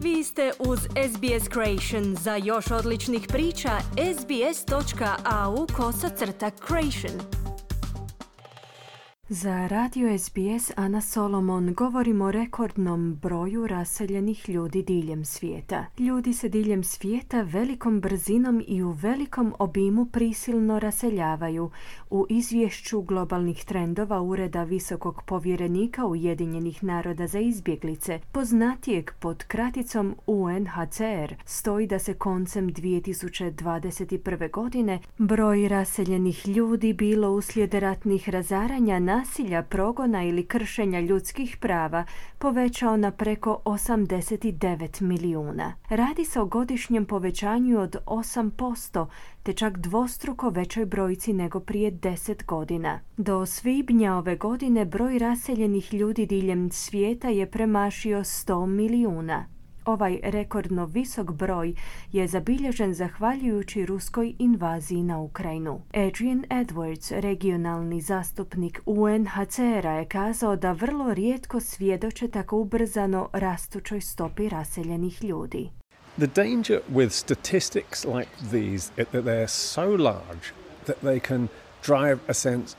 Vi ste uz SBS Creation. Za još odličnih priča, sbs.au/creation. Za radio SBS Ana Solomon govorimo o rekordnom broju raseljenih ljudi diljem svijeta. Ljudi se diljem svijeta velikom brzinom i u velikom obimu prisilno raseljavaju. U izvješću globalnih trendova Ureda visokog povjerenika Ujedinjenih naroda za izbjeglice, poznatijeg pod kraticom UNHCR, stoji da se koncem 2021. godine broj raseljenih ljudi, bilo uslijed ratnih razaranja, nasilja, progona ili kršenja ljudskih prava, povećao na preko 89 milijuna. Radi se o godišnjem povećanju od 8%, te čak dvostruko većoj brojci nego prije 10 godina. Do svibnja ove godine broj raseljenih ljudi diljem svijeta je premašio 100 milijuna. Ovaj rekordno visok broj je zabilježen zahvaljujući ruskoj invaziji na Ukrajinu. Adrian Edwards, regionalni zastupnik UNHCR-a, je kazao da vrlo rijetko svjedoče tako ubrzano rastućoj stopi raseljenih ljudi. The danger with statistics like these is that they're so large that they can drive a sense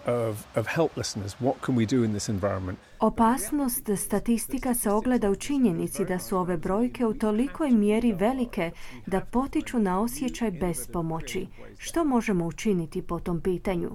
of helplessness. What can we do in this environment? Opasnost statistika se ogleda u činjenici da su ove brojke u tolikoj mjeri velike da potiču na osjećaj bespomoći. Što možemo učiniti po tom pitanju?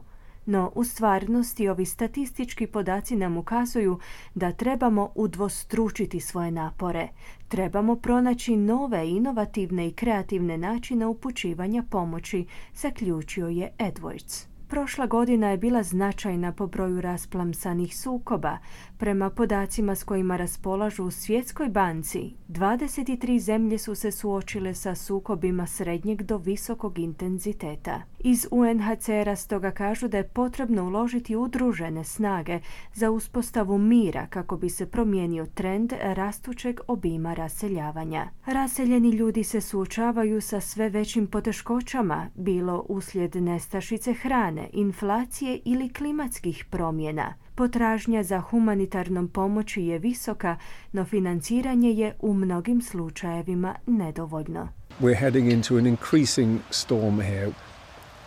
No, u stvarnosti ovi statistički podaci nam ukazuju da trebamo udvostručiti svoje napore. Trebamo pronaći nove, inovativne i kreativne načine upućivanja pomoći, zaključio je Edwards. Prošla godina je bila značajna po broju rasplamsanih sukoba. Prema podacima s kojima raspolažu u Svjetskoj banci, 23 zemlje su se suočile sa sukobima srednjeg do visokog intenziteta. Iz UNHCR-a stoga kažu da je potrebno uložiti udružene snage za uspostavu mira kako bi se promijenio trend rastućeg obima raseljavanja. Raseljeni ljudi se suočavaju sa sve većim poteškoćama, bilo uslijed nestašice hrane, inflacije ili klimatskih promjena. Potražnja za humanitarnom pomoći je visoka, no financiranje je u mnogim slučajevima nedovoljno. We're heading into an increasing storm here.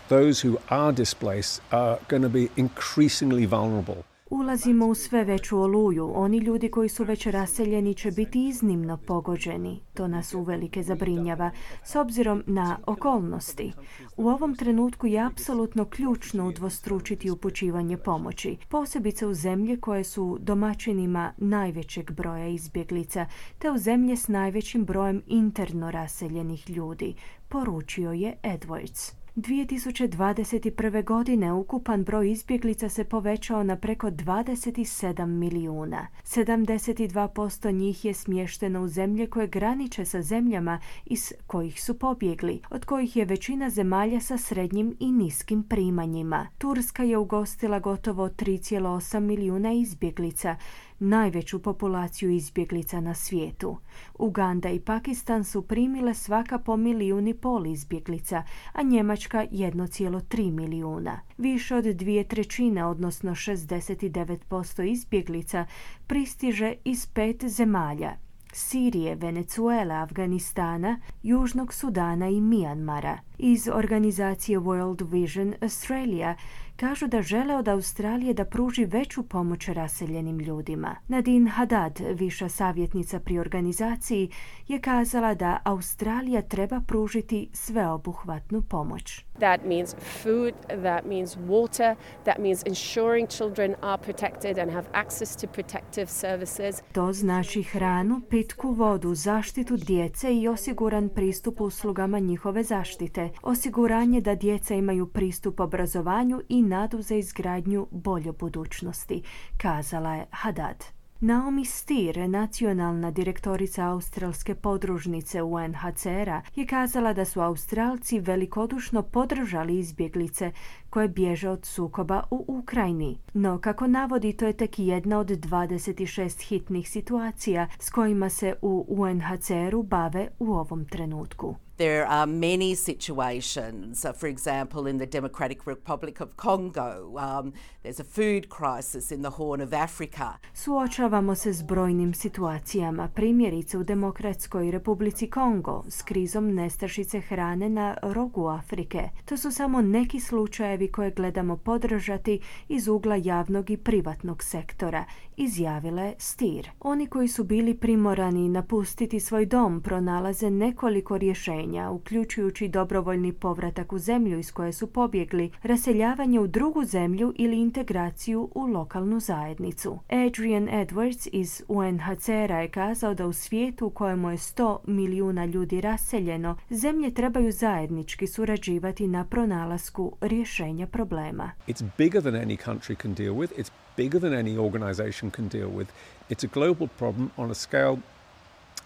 Those who are displaced are going to be increasingly vulnerable. Ulazimo u sve veću oluju. Oni ljudi koji su već raseljeni će biti iznimno pogođeni. To nas uvelike zabrinjava, s obzirom na okolnosti. U ovom trenutku je apsolutno ključno udvostručiti upućivanje pomoći, posebice u zemlje koje su domaćinima najvećeg broja izbjeglica, te u zemlje s najvećim brojem interno raseljenih ljudi, poručio je Edwards. 2021. godine ukupan broj izbjeglica se povećao na preko 27 milijuna. 72% njih je smješteno u zemlje koje graniče sa zemljama iz kojih su pobjegli, od kojih je većina zemalja sa srednjim i niskim primanjima. Turska je ugostila gotovo 3,8 milijuna izbjeglica, najveću populaciju izbjeglica na svijetu. Uganda i Pakistan su primile svaka po 1,5 milijuna izbjeglica, a Njemačka 1,3 milijuna. Više od 2/3, odnosno 69% izbjeglica, pristiže iz 5 zemalja: Sirije, Venezuele, Afganistana, Južnog Sudana i Mijanmara. Iz organizacije World Vision Australia kažu da žele od Australije da pruži veću pomoć raseljenim ljudima. Nadine Haddad, viša savjetnica pri organizaciji, je kazala da Australija treba pružiti sveobuhvatnu pomoć. That means food, that means water, that means ensuring children are protected and have access to protective services. To znači hranu, pitku vodu, zaštitu djece i osiguran pristup uslugama njihove zaštite, osiguranje da djeca imaju pristup obrazovanju i nadu za izgradnju bolje budućnosti, kazala je Haddad. Naomi Stier, nacionalna direktorica australske podružnice UNHCR-a, je kazala da su Australci velikodušno podržali izbjeglice koje bježe od sukoba u Ukrajini. No, kako navodi, to je tek jedna od 26 hitnih situacija s kojima se u UNHCR-u bave u ovom trenutku. There are many situations, for example, in the Democratic Republic of Congo, there's a food crisis in the Horn of Africa. Suočavamo se s brojnim situacijama, primjerice u Demokratskoj Republici Kongo, s krizom nestašice hrane na rogu Afrike. To su samo neki slučajevi koje gledamo podržati iz ugla javnog i privatnog sektora, izjavila je Stier. Oni koji su bili primorani napustiti svoj dom pronalaze nekoliko rješenja, uključujući dobrovoljni povratak u zemlju iz koje su pobjegli, raseljavanje u drugu zemlju ili integraciju u lokalnu zajednicu. Adrian Edwards iz UNHCR-a je kazao da u svijetu u kojemu je 100 milijuna ljudi raseljeno, zemlje trebaju zajednički surađivati na pronalasku rješenja problema. It's bigger than any country can deal with. It's bigger than any organization can deal with. It's a global problem on a scale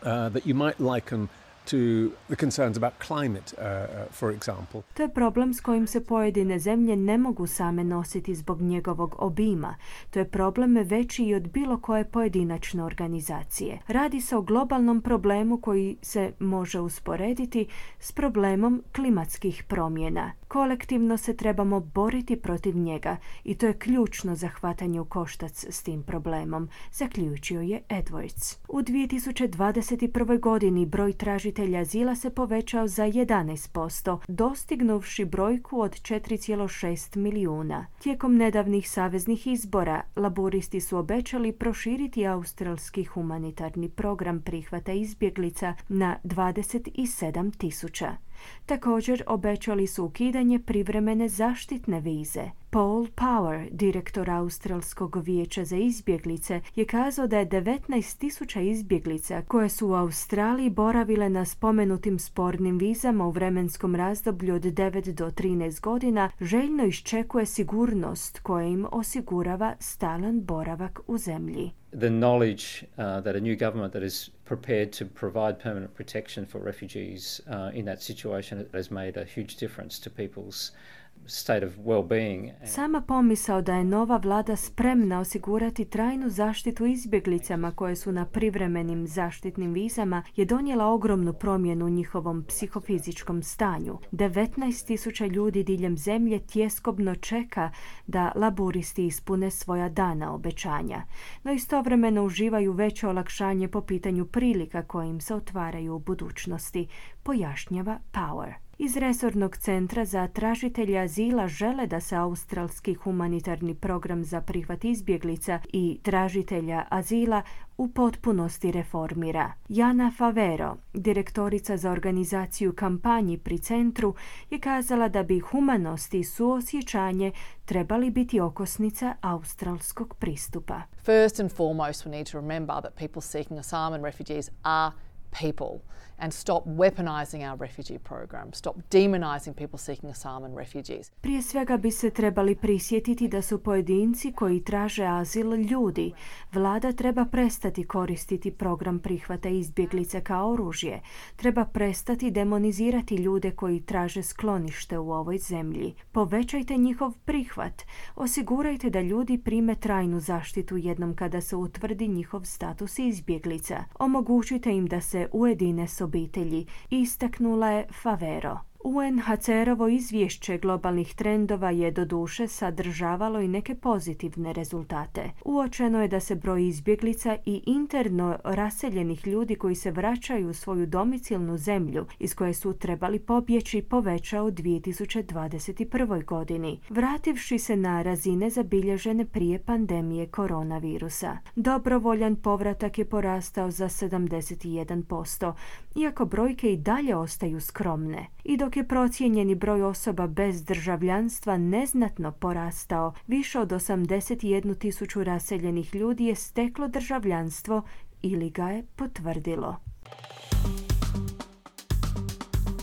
that you might liken to the concerns about climate, for example. To je problem s kojim se pojedine zemlje ne mogu same nositi zbog njegovog obima. To je problem veći i od bilo koje pojedinačne organizacije. Radi se o globalnom problemu koji se može usporediti s problemom klimatskih promjena. Kolektivno se trebamo boriti protiv njega i to je ključno za hvatanje u koštac s tim problemom, zaključio je Edwards. U 2021. godini broj tražitelja azila se povećao za 11%, dostignuvši brojku od 4,6 milijuna. Tijekom nedavnih saveznih izbora, laburisti su obećali proširiti australski humanitarni program prihvata izbjeglica na 27.000. Također obećali su ukidanje privremene zaštitne vize. Paul Power, direktor Australskog vijeća za izbjeglice, je kazao da je 19.000 izbjeglica koje su u Australiji boravile na spomenutim spornim vizama u vremenskom razdoblju od 9 do 13 godina željno iščekuje sigurnost koja im osigurava stalan boravak u zemlji. The knowledge that a new government that is prepared to provide permanent protection for refugees in that situation has made a huge difference to people's state of well-being. Sama pomisao da je nova vlada spremna osigurati trajnu zaštitu izbjeglicama koje su na privremenim zaštitnim vizama je donijela ogromnu promjenu u njihovom psihofizičkom stanju. 19.000 ljudi diljem zemlje tjeskobno čeka da laburisti ispune svoja dana obećanja, no istovremeno uživaju veće olakšanje po pitanju prilika koje im se otvaraju u budućnosti, pojašnjava Power. Iz resornog centra za tražitelje azila žele da se australski humanitarni program za prihvat izbjeglica i tražitelja azila u potpunosti reformira. Jana Favero, direktorica za organizaciju kampanji pri centru, je kazala da bi humanost i suosjećanje trebali biti okosnica australskog pristupa. First and foremost, we need to remember that people seeking asylum and refugees are people and stop weaponizing our refugee program, stop demonizing people seeking asylum and refugees. Prije svega bi se trebali prisjetiti da su pojedinci koji traže azil ljudi. Vlada treba prestati koristiti program prihvata izbjeglica kao oružje. Treba prestati demonizirati ljude koji traže sklonište u ovoj zemlji. Povećajte njihov prihvat. Osigurajte da ljudi prime trajnu zaštitu jednom kada se utvrdi njihov status izbjeglica. Omogućite im da se ujedine s obitelji, istaknula je Favero. UNHCR-ovo izvješće globalnih trendova je doduše sadržavalo i neke pozitivne rezultate. Uočeno je da se broj izbjeglica i interno raseljenih ljudi koji se vraćaju u svoju domicilnu zemlju iz koje su trebali pobjeći povećao u 2021. godini, vrativši se na razine zabilježene prije pandemije koronavirusa. Dobrovoljan povratak je porastao za 71%, iako brojke i dalje ostaju skromne. I dok je procijenjeni broj osoba bez državljanstva neznatno porastao, više od 81.000 raseljenih ljudi je steklo državljanstvo ili ga je potvrdilo.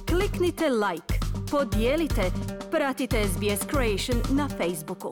Kliknite like, podijelite, pratite SBS Creation na Facebooku.